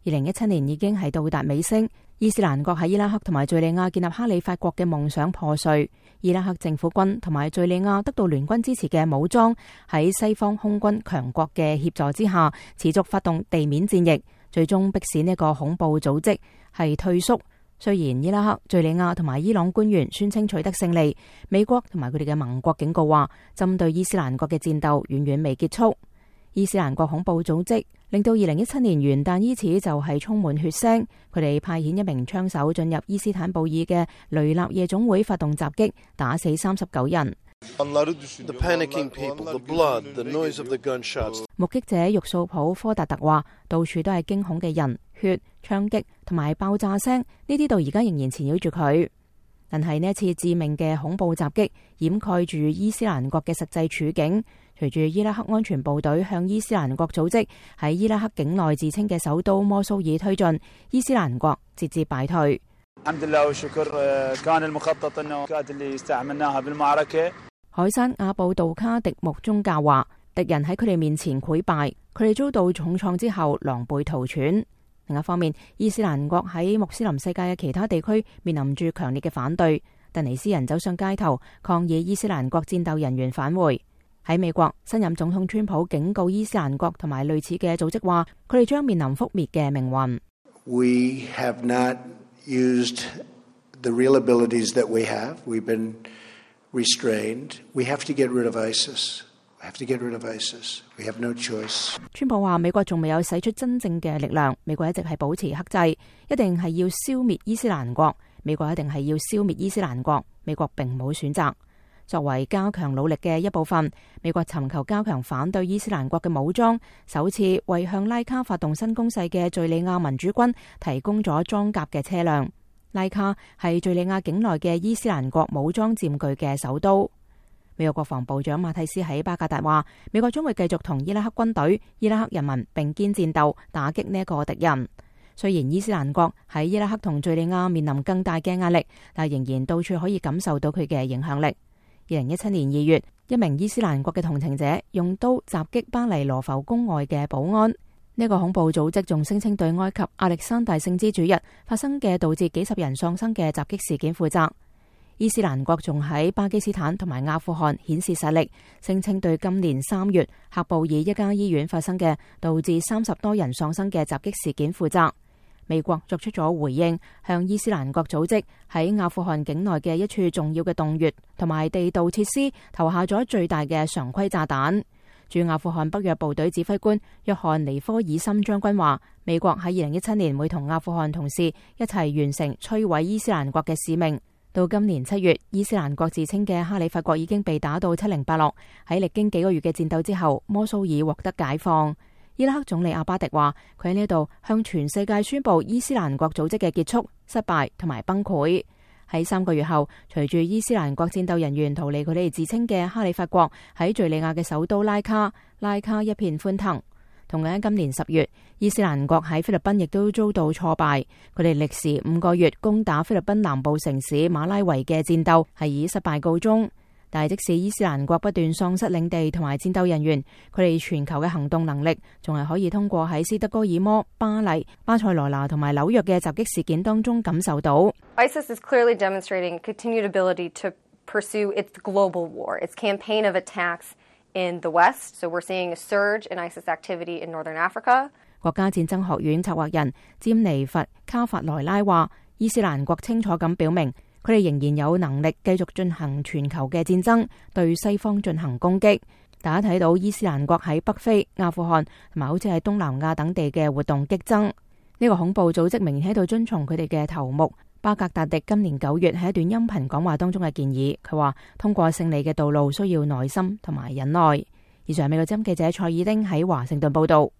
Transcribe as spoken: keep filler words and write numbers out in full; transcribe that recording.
二零一七年已經係到達尾聲，伊斯蘭國喺伊拉克同埋敘利亞建立哈里發國嘅夢想破碎。伊拉克政府軍同埋敘利亞得到聯軍支持嘅武裝喺西方空軍強國嘅協助之下，持續發動地面戰役，最終迫使呢個恐怖組織係退縮。雖然伊拉克、敘利亞同埋伊朗官員宣稱取得勝利，美國同埋佢哋嘅盟國警告話，針對伊斯蘭國嘅戰鬥遠遠未結束。伊斯蘭國恐怖組織令到二零一七年元旦伊始就係充滿血腥，佢哋派遣一名槍手進入伊斯坦布爾嘅雷納夜總會發動襲擊，打死三十九人。目擊者玉素普科達特話，到處都係驚恐嘅人、血、槍擊同埋爆炸聲，呢啲到而家仍然纏繞住佢。但係呢一次致命嘅恐怖襲擊掩蓋住伊斯蘭國嘅實際處境。隨住伊拉克安全部隊向伊斯蘭國組織喺伊拉克境內自稱嘅首都摩蘇爾推進，伊斯蘭國節節敗退。海山阿布杜卡迪木宗教話，敵人喺佢哋面前潰敗，佢哋遭到重創之後狼狽逃竄。另一方面，伊斯蘭國喺穆斯林世界嘅其他地區面臨住強烈嘅反對，突尼斯人走上街頭抗議伊斯蘭國戰鬥人員返回。喺美國，新任總統川普警告伊斯蘭國同埋類似嘅組織話，佢哋將面臨覆滅嘅命運。We have not used the real abilities that we have. We've been restrained. We have to get rid of ISIS. We have to get rid of ISIS. We have no choice. 川普話，美國仲未有使出真正嘅力量，美國一直係保持克制，一定係要消滅伊斯蘭國。美國一定係要消滅伊斯蘭國，美國並冇選擇。作為加強努力嘅一部分，美國尋求加強反對伊斯蘭國嘅武裝，首次為向拉卡發動新攻勢嘅敘利亞民主軍提供咗裝甲嘅車輛。拉卡係敘利亞境內嘅伊斯蘭國武裝佔據嘅首都。美國國防部長馬蒂斯喺巴格達話，美國將會繼續同伊拉克軍隊、伊拉克人民並肩戰鬥，打擊呢一個敵人。雖然伊斯蘭國喺伊拉克同敘利亞面臨更大嘅壓力，但仍然到處可以感受到佢嘅影響力。二零一七年二月，一名伊斯蘭國嘅同情者用刀襲擊巴黎羅浮宮外嘅保安。呢個恐怖組織仲聲稱對埃及亞歷山大聖之主日發生嘅導致幾十人喪生嘅襲擊事件負責。伊斯蘭國仲喺巴基斯坦同埋阿富汗顯示實力，聲稱對今年三月喀布爾一家醫院發生嘅導致三十多人喪生嘅襲擊事件負責。美國作出咗回應，向伊斯蘭國組織喺阿富汗境內嘅一處重要嘅洞穴同埋地道設施投下咗最大嘅常規炸彈。駐阿富汗北約部隊指揮官約翰尼科爾森將軍話，美國喺二零一七年會同阿富汗同事一齊完成摧毀伊斯蘭國嘅使命。到今年七月，伊斯蘭國自稱嘅哈里發國已經被打到七零八落。喺歷經幾個月嘅戰鬥之後，摩蘇爾獲得解放。伊拉克總理阿巴迪話，佢喺呢度向全世界宣布伊斯蘭國組織嘅結束、失敗同埋崩潰。喺三個月後，隨住伊斯蘭國戰鬥人員逃離佢哋自稱嘅哈里發國喺敘利亞嘅首都拉卡，拉卡一片歡騰。同樣喺今年十月，伊斯蘭國喺菲律賓亦都遭到挫敗，佢哋歷時五個月攻打菲律賓南部城市馬拉維嘅戰鬥係以失敗告終。但係即使伊斯蘭國不斷喪失領地同埋戰鬥人員，佢哋全球嘅行動能力仲係可以通過喺斯德哥爾摩、巴黎、巴塞羅那同埋紐約嘅襲擊事件當中感受到。ISIS is clearly demonstrating continued ability to pursue its global war, its campaign of attacks in the West. So we're seeing a surge in ISIS activity in Northern Africa. 國家戰爭學院策劃人詹尼弗卡法萊拉話，伊斯蘭國清楚咁表明，佢哋仍然有能力繼續進行全球嘅戰爭，對西方進行攻擊。大家睇到伊斯蘭國喺北非、阿富汗同埋好似喺東南亞等地嘅活動激增。呢、這個恐怖組織明顯喺度遵從佢哋嘅頭目巴格達迪今年九月喺一段音頻講話當中嘅建議。佢話通過勝利嘅道路需要耐心同埋忍耐。以上係美國之音記者蔡爾丁喺華盛頓報道。